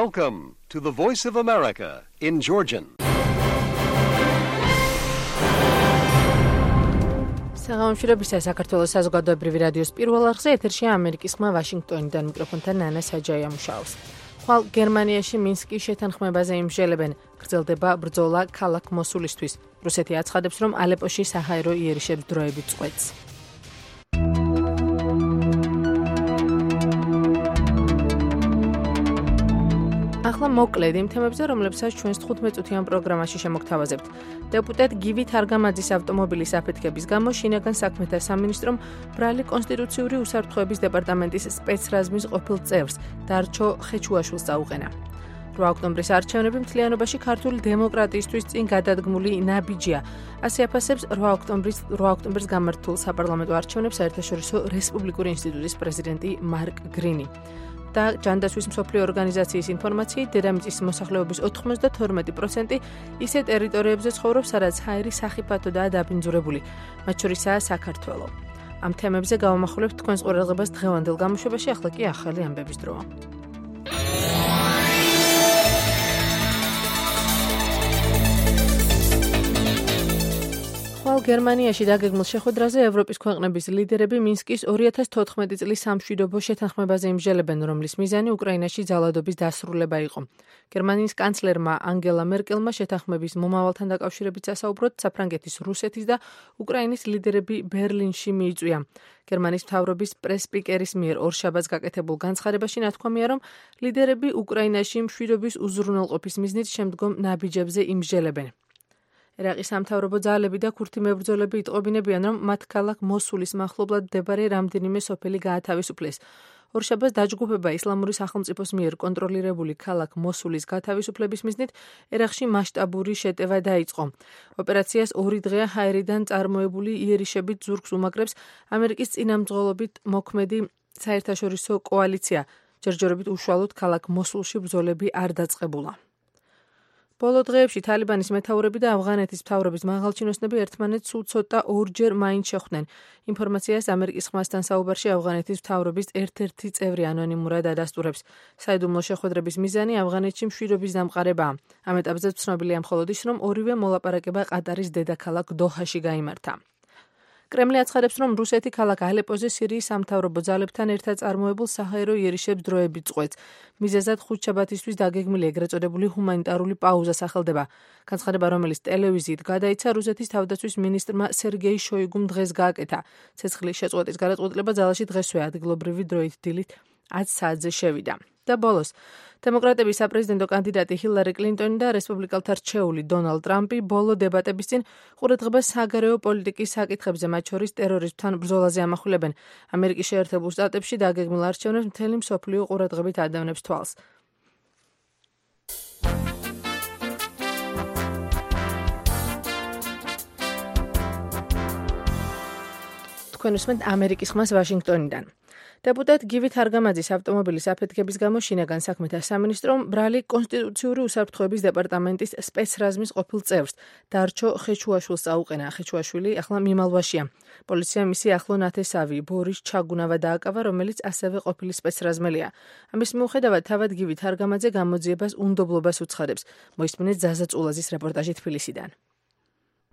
Welcome to the Voice of America in Georgian. საღამოშრებისა საქართველოს საზოგადოებრივი რადიოს პირველ არხზე ეთერშია ამერიკის ხმა ვაშინგტონიდან მიკროფონთან ნანა საჯაია მუშაობს. ხვალ გერმანიაში მინსკის შეთანხმებაზე იმსჯელებენ. გრძელდება ბრძოლა ქალაქ მოსულისთვის. რუსეთი აცხადებს, რომ ალეპოში საჰაერო იერიშებს დროებით წყვეტს. ახლა მოკლედ იმ თემებზე, რომლებსაც ჩვენს 15-წუთიან პროგრამაში შემოგთავაზებთ. დეპუტატ გივი თარგამაძის ავტომობილის აფეთქების გამო შინაგან საქმეთა სამინისტრომ ბრალი კონსტიტუციური უსაფრთხოების დეპარტამენტის სპეცრაზმის ყოფილ წევრს დარჩო ხეჩუაშვილს წაუყენა. 8 ოქტომბრის არჩევნები მთლიანობაში ქართული დემოკრატიისთვის წინ გადადგმული ნაბიჯია. ასე აფასებს 8 ოქტომბრის გამართულ საპარლამენტო არჩევნებს საერთაშორისო რესპუბლიკური ინსტიტუტის პრეზიდენტი მარკ გრინი. და ჯანდაცვის მსოფლიო ორგანიზაციის ინფორმაციით, დედამიწის მოსახლეობის 92% ისე ტერიტორიებზე ცხოვრობს, სადაც ჰაერი სახიფათოდაა დაბინძურებული, მათ შორისაა საქართველო. ამ თემებზე გავამახვილებთ თქვენს ყურადღებას დღევანდელ გამოშვებაში, ახლა კი ახალი ამბების დროა. ხვალ გერმანიაში დაგეგმილ შეხვედრაზე ევროპის ქვეყნების ლიდერები მინსკის 2014 წლის სამშვიდობო შეთანხმებაზე იმსჯელებენ, რომლის მიზანი უკრაინაში ძალადობის დასრულება იყო. გერმანიის კანცლერმა ანგელა მერკელმა შეთანხმების მომავალთან დაკავშირებით სასაუბროდ საფრანგეთის, რუსეთის და უკრაინის ლიდერები ბერლინში მიიწვია. გერმანიის მთავრობის პრეს-სპიკერის მიერ ორშაბათს გაკეთებულ განცხადებაში ნათქვამია, რომ ლიდერები უკრაინაში მშვიდობის უზრუნველყოფის მიზნით შემდგომ ნაბიჯებზე იმსჯელებენ. ერაყის სამთავრობო ძალები და ქურთი მებრძოლები იტყობინებიან, რომ მათ ქალაქ მოსულის მახლობლად მდებარე რამდენიმე სოფელი გაათავისუფლეს. ორშაბათს დაჯგუფება ისლამური სახელმწიფოს მიერ კონტროლირებული ქალაქ მოსულის გათავისუფლების მიზნით ერაყში მასშტაბური შეტევა დაიწყო. ოპერაციას 2 დღეა ჰაერიდან წარმოებული იერიშებით ზურგს უმაგრებს ამერიკის წინამძღოლობით მოქმედი საერთაშორისო კოალიცია. ჯერჯერობით უშუალოდ ქალაქ მოსულში ბრძოლები არ დაწყებულა. ბოლო დღეებში თალიბანის მეთაურები და ავღანეთის მთავრობის მაღალჩინოსნები ერთმანეთს სულ ცოტა ორჯერ მაინც შეხვდნენ. ინფორმაციას ამერიკის ხმასთან საუბარში ავღანეთის მთავრობის ერთ-ერთი წევრი ანონიმურად ადასტურებს. საიდუმლო შეხვედრების მიზანი ავღანეთში მშვიდობის დამყარებაა. ამ ეტაპზე ცნობილია მხოლოდ ის, რომ ორივე მოლაპარაკება ყატარის დედაქალაქ დოჰაში გაიმართა. კრემლი აცხადებს, რომ რუსეთი ქალაქ ალეპოზე სირიის სამთავრობო ძალებთან ერთად წარმოებულ საჰაერო იერიშებს დროებით წყვეტს. მიზეზად ხუთშაბათისთვის დაგეგმილი ეგრეთ წოდებული ჰუმანიტარული პაუზა სახელდება. განცხადება, რომელიც ტელევიზიით გადაიცა, რუსეთის თავდაცვის მინისტრმა სერგეი შოიგუმ დღეს გააკეთა. ცეცხლის შეწყვეტის გადაწყვეტილება ძალაში დღესვე ადგილობრივი დროით დილით 10 საათზე შევიდა. და ბოლოს, დემოკრატების საპრეზიდენტო კანდიდატი ჰილარი კლინტონი და რესპუბლიკელთა რჩეული დონალდ ტრამპი ბოლო დებატების წინ ყურადღებას საგარეო პოლიტიკის საკითხებზე, მათ შორის ტერორიზმთან ბრძოლაზე ამახვილებენ. ამერიკის შეერთებულ შტატებში დაგეგმილ არჩევნებს მთელი მსოფლიო ყურადღებით ადევნებს თვალს. თქვენ უსმენთ ამერიკის ხმას ვაშინგტონიდან. დეპუტატ გივი თარგამაძის ავტომობილის აფეთქების გამო შინაგან საქმეთა სამინისტრომ ბრალი კონსტიტუციური უსაფრთხოების დეპარტამენტის სპეცრაზმის ყოფილ წევრს დარჩო ხეჩუაშვილს წაუყენა. ხეჩუაშვილი ახლა მიმალვაშია. პოლიციამ მისი ახლო ნათესავი ბორის ჩაგუნავა დააკავა, რომელიც ასევე ყოფილი სპეცრაზმელია. ამის მიუხედავად თავად გივი თარგამაძე გამოძიებას უნდობლობას უცხადებს. მოისმინეთ ზაზა წულაზის რეპორტაჟი თბილისიდან.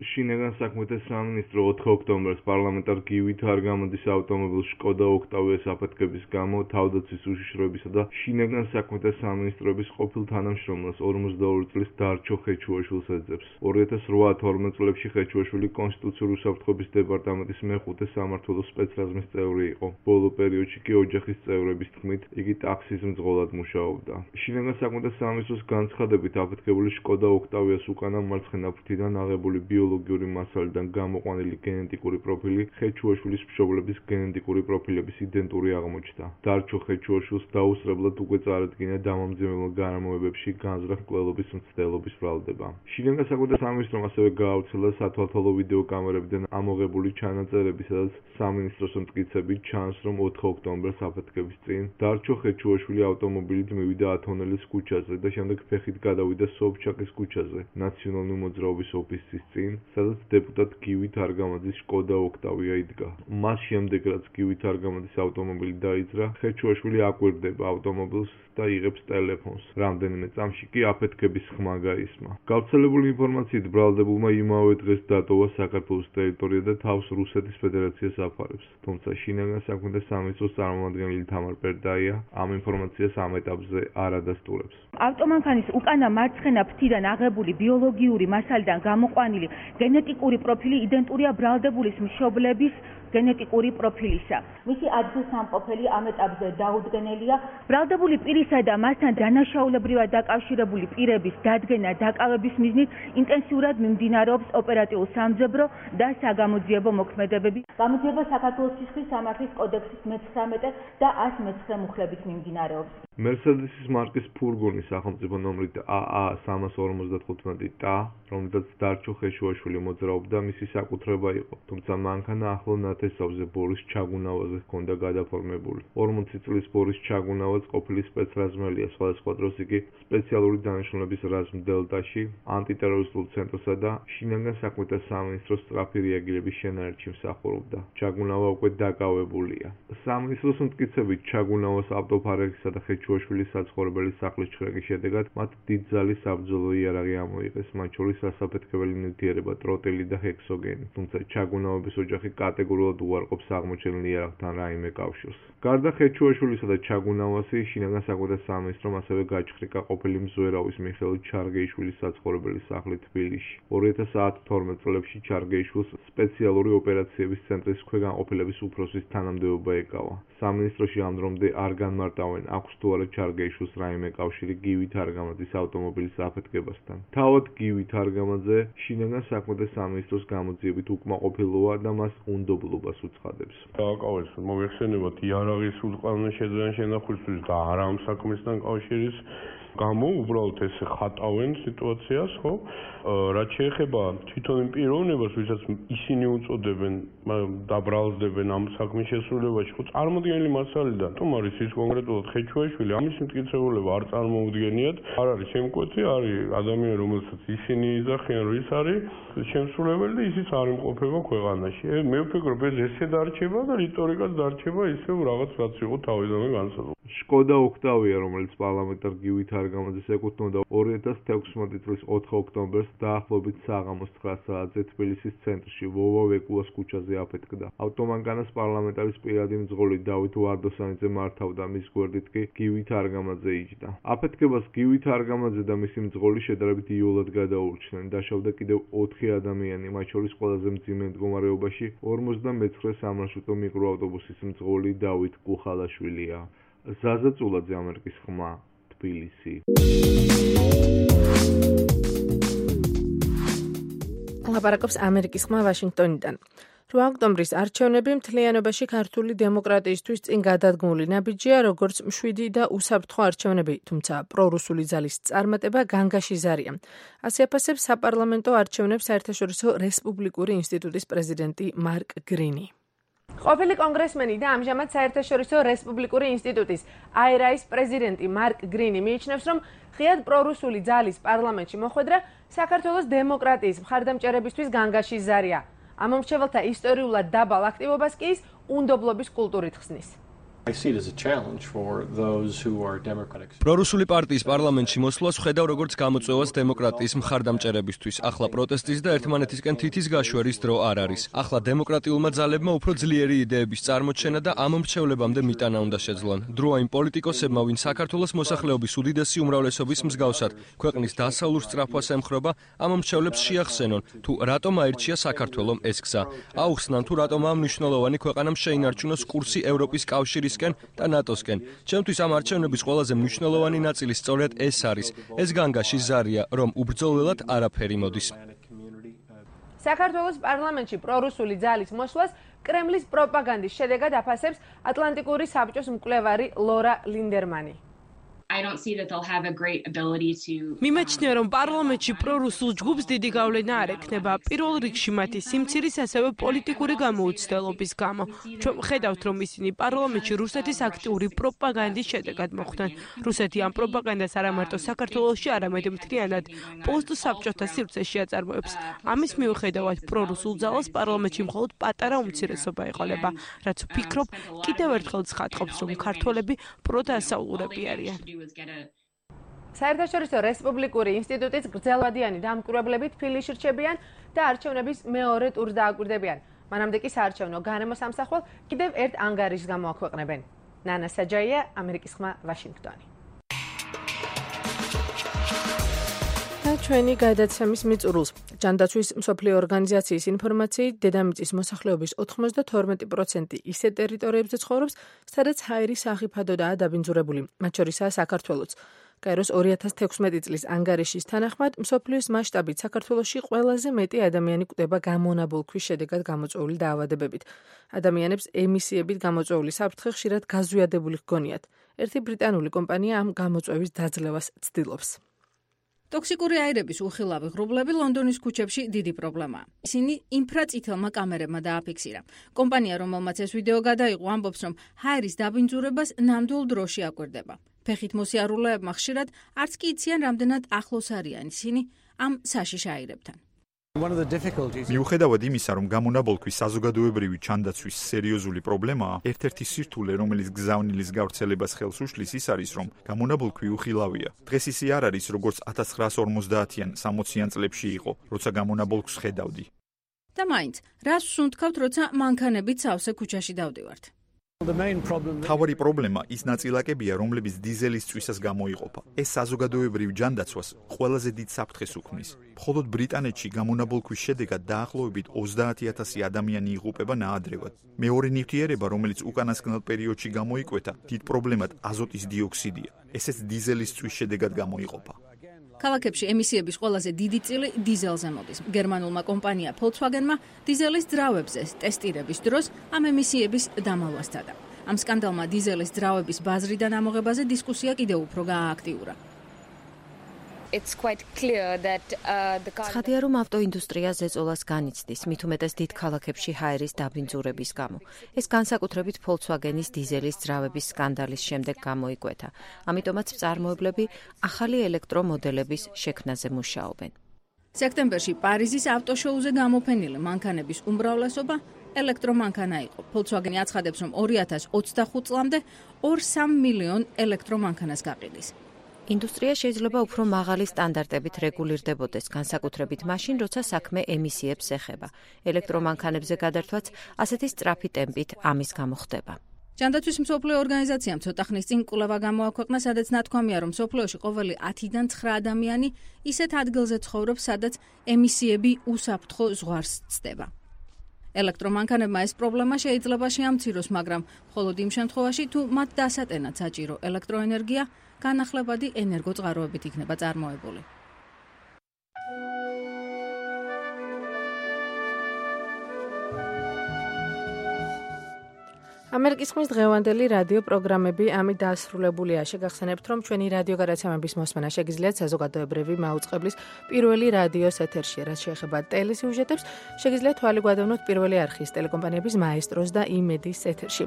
შინაგან საქმეთა სამინისტრო 4 ოქტომბერს პარლამენტარ გივი თარგამაძის ავტომობილ შკოდა ოქტავიას აფეთქების გამო თავდაცვის უშიშროებისა და შინაგან საქმეთა სამინისტროების ყოფილ თანამშრომელს 42 წლის დარჩო ხეჩუაშვილს ეძებს. 2008-12 წლებში ხეჩუაშვილი კონსტიტუციური უსაფრთხოების დეპარტამენტის მეხუთე სამმართველოს სპეცრაზმის წევრი იყო. ბოლო პერიოდში კი ოჯახის წევრების თქმით, იგი ტაქსის მძღოლად მუშაობდა. შინაგან საქმეთა სამინისტროს განცხადებით აფეთქებული შკოდა ოქტავიას უკანა მარცხენა ფრთიდან აღებული ბიოლოგიური მასალიდან გამოყვანილი გენეტიკური პროფილი ხეჩუაშვილის მშობლების გენეტიკური პროფილების იდენტური აღმოჩნდა. დარჩო ხეჩუაშვილს დაუსწრებლად უკვე წარადგინა დამამძიმებელ გარემოებებში განზრახ მკვლელობის მცდელობის ბრალდება. შინაგან საქმეთა სამინისტრომ ასევე გაავრცელა სათვალთვალო ვიდეო კამერებიდან ამოღებული ჩანაწერები, სადაც სამინისტროს მტკიცებით ჩანს, რომ 4 ოქტომბერს აფეთქების წინ დარჩო ხეჩუაშვილი ავტომობილით მივიდა ათონელის ქუჩაზე და შემდეგ ფეხით გადავიდა სოვჩაკის ქუჩაზე, ნაციონალური მოძრაობის ოფისის წინ, სადაც დეპუტატ გივით არგამაძის შკოდა ოქტავია იდგა. მას შემდეგ, რაც გივით არგამაძის ავტომობილი დაიძრა, ხეჩუაშვილი აკვირდება ავტომობილს და იღებს ტელეფონს. რამდენიმე წამში კი აფეთქების ხმა გაისმა. გავრცელებული ინფორმაციით ბრალდებულმა იმავე დღეს დატოვა საქართველოს ტერიტორია და თავს რუსეთის ფედერაციას აფარებს. თუმცა შინაგან საქმეთა სამინისტროს წარმომადგენელი თამარ პერდაია ამ ინფორმაციას ამ ეტაპზე არ ადასტურებს. ავტომანქანის უკანა მარცხენა ფრთიდან აღებული ბიოლოგიური მასალიდან გამოყვანილი გენეტიკური პროფილი იდენტურია ბრალდებულის მშობლების გენეტიკური პროფილისა. მისი ადგილსამყოფელი ამ ეტაპზე დაუდგენელია. ბრალდებული პირისა და მასთან დანაშაულებრივად დაკავშირებული პირების დადგენა დაკავების მიზნით ინტენსიურად მიმდინარეობს ოპერატიულ-სამძებრო და საგამოძიებო მოქმედებები. გამოძიება საქართველოს სისხლის სამართლის კოდექსის 19 და 119 მუხლებით მიმდინარეობს. მერსედესის მარკის ფურგონი სახელმწიფო ნომრით AA355T, რომელსაც დარჩო ხეშუაშვილი მოძრაობდა, მისი საკუთრება იყო, თუმცა მანქანა ახლო ნათესავზე ბორის ჩაგუნავაზე ჰქონდა გადაფორმებული. 40 წლის ბორის ჩაგუნავაც ყოფილი სპეცრაზმელია, სხვადასხვა დროს იგი სპეციალური დანიშნულების რაზმ დელტაში, ანტიტერორისტულ ცენტრსა და შინაგან საქმეთა სამინისტროს სწრაფი რეაგირების შენაერთში მსახურობდა. ჩაგუნავა უკვე დაკავებულია. სამინისტროს მტკიცებით ჩაგუნავას ავტოფარეხისა და ხეჩუაშვილის საცხოვრებელი სახლის ჩხრეკის შედეგად მათ დიდძალი საბრძოლო იარაღი ამოიღეს, მათ შორის ასაფეთქებელი ნივთიერება, ტროტილი და ჰექსოგენი. თუმცა ჩაგუნავების ოჯახი კატეგორიულად უარყოფს აღმოჩენილ იარაღთან რაიმე კავშირს. გარდა ხეჩუაშვილისა და ჩაგუნავასი, შინაგან საქმეთა სამინისტრომ ასევე გაჩხრიკა ყოფილი მზვერავის მიხეილ ჩარგეიშვილის საცხოვრებელი სახლი თბილისში. 2012 წლებში ჩარგეიშვილს სპეციალური ოპერაციების ცენტრის ქვეგანყოფილების უფროსის თანამდებობა ეკავა. სამინისტროში ამ დრომდე არ განმარტავენ, აქვს თუ არა ჩარგეიშვილს რაიმე კავშირი გივით არგამაძის ავტომობილის აფეთქებასთან. თავად გივით არგამაძე შინაგან საქმეთა სამინისტროს გამოძიებით უკმაყოფილოა და მას უნდობლობას უცხადებს. დააკავეს მოიხსენებათ იარაღის ულყავნე შეძენ შენახულისთვის და არა ამ საქმესთან კავშირის გამო უბრალოდ ესე ხატავენ სიტუაციას, ხო? რაც შეეხება თვითონ იმ პიროვნებას, ვისაც ისინი უწოდებენ, დაბრალდებენ ამ საქმის შესრულებაში, ხო, წარმოდგენილი მასალიდან, თუმცა ის კონკრეტულად ხეჩუაშვილი, ამის მტკიცებულება არ წარმოუდგენიათ, არ არის შემკვეთი, არის ადამიანი, რომელსაც ისინი იძახიან, რომ ის არის შემსრულებელი და ისიც არ იმყოფება ქვეყანაში. მე ვფიქრობ, ეს ესე დარჩება და რიტორიკაც დარჩება ისევ რაღაც რაც იყო თავიდანვე განსაზღვრული. შკოდა ოქტავია, რომელიც პარლამენტარ გივით არგამაძეს ეკუთვნოდა 2016 წლის 4 ოქტომბერს დაახლოებით საღამოს 9 საათზე თბილისის ცენტრში ვოვა ვეკულას ქუჩაზე აფეთქდა. ავტომანქანას პარლამენტარის პირადი მძღოლი დავით ვარდოსანიძე მართავდა, მის გვერდით კი გივით არგამაძე იჯდა. აფეთქებას გივით არგამაძე და მისი მძღოლი შედარებით იოლად გადაურჩნენ. დაშავდა კიდევ 4 ადამიანი, მათ შორის ყველაზე მძიმე მდგომარეობაში 59 სამარშრუტო მიკროავტობუსის მძღოლი დავით კუხალაშვილია. ზაზა წულაძე, ამერიკის ხმა, თბილისი. ლაპარაკობს ამერიკის ხმა ვაშინგტონიდან. 8 ოქტომბრის არჩევნები მთლიანობაში ქართული დემოკრატიისთვის წინ გადადგმული ნაბიჯია, როგორც მშვიდი და უსაფრთხო არჩევნები, თუმცა პრორუსული ძალის წარმატება განგაში ზარია. ასე აფასებს საპარლამენტო არჩევნებს საერთაშორისო რესპუბლიკური ინსტიტუტის პრეზიდენტი მარკ გრინი. ყოფილი კონგრესმენი და ამჟამად საერთაშორისო რესპუბლიკური ინსტიტუტის IRA-ის პრეზიდენტი მარკ გრინი მიიჩნევს, რომ ღიად პრორუსული ძალის პარლამენტში მოხვედრა საქართველოს დემოკრატიის მხარდამჭერებისთვის განგაში ზარია. ამომრჩეველთა ისტორიულად დაბალ აქტივობას კი ის უნდობლობის კულტურით ხსნის. პრორუსული პარტიის პარლამენტში მოსვლას ვხედავ როგორც გამოწვევას დემოკრატიის მხარდამჭერებისთვის. ახლა პროტესტის და ერთმანეთისკენ თითის გაშვერის დრო არ არის. ახლა დემოკრატიულმა ძალებმა უფრო ძლიერი იდეების წარმოჩენა და ამომრჩევლებამდე მიტანა უნდა შეძლონ. დროა იმ პოლიტიკოსებმა, ვინ საქართველოს მოსახლეობის უდიდესი უმრავლესობის მსგავსად ქვეყნის დასავლურ სწრაფვას ემხრობა, ამომრჩევლებს შეახსენონ, თუ რატომ აირჩია საქართველომ ეს გზა. აუხსნან, თუ რატომ ამ მნიშვნელოვანი ქვეყანამ შეინარჩუნოს კურსი ევროპის კავშირის და ნატოსკენ. ჩემთვის ამ არჩევნების ყველაზე მნიშვნელოვანი ნაწილი სწორედ ეს არის. ეს განგაში ზარია, რომ უბრძოლველად არაფერი მოდის. საქართველოს პარლამენტში პრორუსული ძალის მოსვლას კრემლის პროპაგანდის შედეგად აფასებს ატლანტიკური საბჭოს მკვლევარი ლორა ლინდერმანი. I don't see that they'll have a great ability to მიმაჩნია, რომ პარლამენტში პრორუსულ ჯგუფს დიდი გავლენა არ ექნება. პირველ რიგში მათი სიმცირის, ასევე პოლიტიკური გამოუცდელობის გამო. ჩვენ ვხედავთ, რომ ისინი პარლამენტში რუსეთის აქტიური პროპაგანდის შედეგად მოხვდნენ. რუსეთი ამ პროპაგანდას არა მარტო საქართველოში, არამედ მთლიანად პოსტსაბჭოთა სივრცეში აწარმოებს. ამის მიუხედავად, პრორუსულ ძალას პარლამენტში მხოლოდ პატარა უმცირესობა ეყოლება, რაც ვფიქრობ, კიდევ ერთხელ ცხადყოფს, რომ ქართველები პროდასავლურები არიან. საერთაშორისო რესპუბლიკური ინსტიტუტის გრძელვადიანი დამკვირვებლებით თბილისში რჩებიან და არჩევნების მეორე ტურს დააკვირდებიან. მანამდე კი საარჩევნო გარემო სამსახურ კიდევ ერთ ანგარიშს გამოაქვეყნებენ. ნანა საჯაია, ამერიკის ხმა, ვაშინგტონი. და ჩვენი გადაცემის მიწურულს. ჯანდაცვის მსოფლიო ორგანიზაციის ინფორმაციით, დედამიწის მოსახლეობის 92% ისე ტერიტორიებზე ცხოვრობს, სადაც ჰაერის სახიფათოდაა დაბინძურებული, მათ შორისაა საქართველოც. კაიროს 2016 წლის ანგარიშის თანახმად, მსოფლიოს მასშტაბით საქართველოში ყველაზე მეტი ადამიანი კვდება გამონაბოლქვის შედეგად გამოწვეული დაავადებებით. ადამიანებს ემისიებით გამოწვეული საფრთხე ხშირად გაზვიადებული ჰგონიათ. ერთი ბრიტანული კომპანია ამ გამოწვევის დაძლევას ცდილობს. ტოქსიკური აირების უხილავი ღრუბლები ლონდონის ქუჩებში დიდი პრობლემაა. ისინი ინფრაწითელმა კამერებმა დააფიქსირა. კომპანია, რომელმაც ეს ვიდეო გადაიღო, ამბობს, რომ ჰაერის დაბინძურებას ნამდვილ დროში აკვირდება. ფეხით მოსიარულეებმა ხშირად არც კი იციან, რამდენად ახლოს არიან ისინი ამ საშიშ აირებთან. მიუხედავად იმისა, რომ გამონაბოლქვის საზოგადოებრივი ჩანდაცვის სერიოზული პრობლემაა, ერთ-ერთი სირთულე, რომელიც გზავნილის გავრცელებას ხელს უშლის, ის არის, რომ გამონაბოლქვი უხილავია. დღეს ისე არ არის, როგორც 1950-იან, 60-იან წლებში იყო, როცა გამონაბოლქვს ხედავდი. და მაინც, რას ვსუნთქავთ, როცა მანქანებით სავსე ქუჩაში დავდივართ? მთავარი პრობლემა ის ნაწილაკებია, რომლებიც დიზელის წვისას გამოიყოფა. ეს საზოგადოებრივ ჯანდაცვას ყველაზე დიდ საფრთხეს უქმნის. მხოლოდ ბრიტანეთში გამონაბოლქვის შედეგად დაახლოებით 30,000 ადამიანი იღუპება ნაადრევად. მეორე ნივთიერება, რომელიც უკანასკნელ პერიოდში გამოიკვეთა, დიდ პრობლემად აზოტის დიოქსიდია. ესეც დიზელის წვის შედეგად გამოიყოფა. ქალაქებში ემისიების ყველაზე დიდი წილი დიზელზე მოდის. გერმანულმა კომპანია Volkswagen-მა დიზელის ძრავებზე ტესტირების დროს ამ ემისიების დამალვას სცადა. ამ სკანდალმა დიზელის ძრავების ბაზრიდან ამოღებაზე დისკუსია კიდევ უფრო გაააქტიურა. ცხადია, რომ ავტოინდუსტრია ზეწოლას განიცდის, მით უმეტეს დიდ ქალაქებში ჰაერის დაბინძურების გამო. ეს განსაკუთრებით Volkswagen-ის დიზელის ძრავების სკანდალის შემდეგ გამოიკვეთა. ამიტომაც მწარმოებლები ახალი ელექტრომოდელების შექმნაზე მუშაობენ. სექტემბერში პარიზის ავტოშოუზე გამოფენილი მანქანების უმრავლესობა ელექტრომანქანა იყო. Volkswagen აცხადებს, რომ 2025 წლამდე 2-3 მილიონ ელექტრომანქანას გაყიდის. ინდუსტრია შეიძლება უფრო მაღალი სტანდარტებით რეგულირდებოდეს, განსაკუთრებით მაშინ, როცა საქმე ემისიებს ეხება. ელექტრომანქანებზე გადართვაც ასეთი სწრაფი ტემპით ამის გამო ხდება. ჯანდაცვის მსოფლიო ორგანიზაციამ ცოტა ხნის წინ კვლევა გამოაქვეყნა, სადაც ნათქვამია, რომ მსოფლიოში ყოველი 10-დან 9 ადამიანი ისეთ ადგილზე ცხოვრობს, სადაც ემისიები უსაფრთხო ზღვარს ცდება. ელექტრომანქანებმა ეს პრობლემა შეიძლება შეამციროს, მაგრამ მხოლოდ იმ შემთხვევაში, თუ მათ დასატენად საჭირო ელექტროენერგია განახლებადი ენერგოწყაროებით იქნება წარმოებული. ამერიკის ხმის დღევანდელი რადიო პროგრამები ამით დასრულებულია. შეგახსენებთ, რომ ჩვენი რადიო გადაცემების მოსმენა შეგიძლიათ საზოგადოებრივი მაუწყებლის პირველი რადიოს ეთერში. რაც შეეხება ტელესიუჟეტებს, შეგიძლიათ თვალი გვადევნოთ პირველი არხის ტელეკომპანიების მაესტროს და იმედის ეთერში.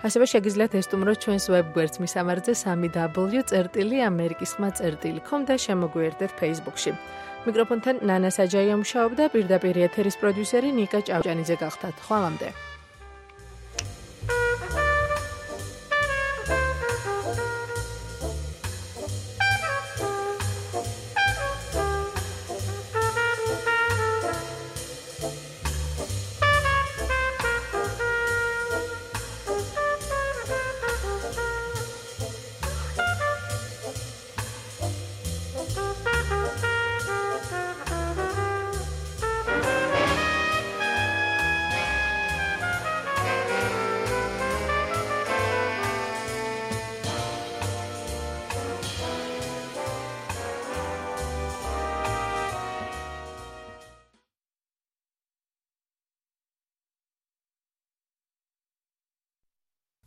ასევე შეგიძლიათ ესტუმროთ ჩვენს ვებგვერდს მისამართზე 3w.amerikiskhma.com და შემოგვიერთდეთ Facebook-ში. მიკროფონთან ნანა საჯაია მუშაობდა, პირდაპირ ეთერის პროდიუსერი ნიკა ჭავჭანიძე გახდათ. ხვალამდე.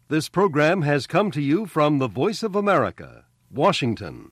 This program has come to you from the Voice of America, Washington.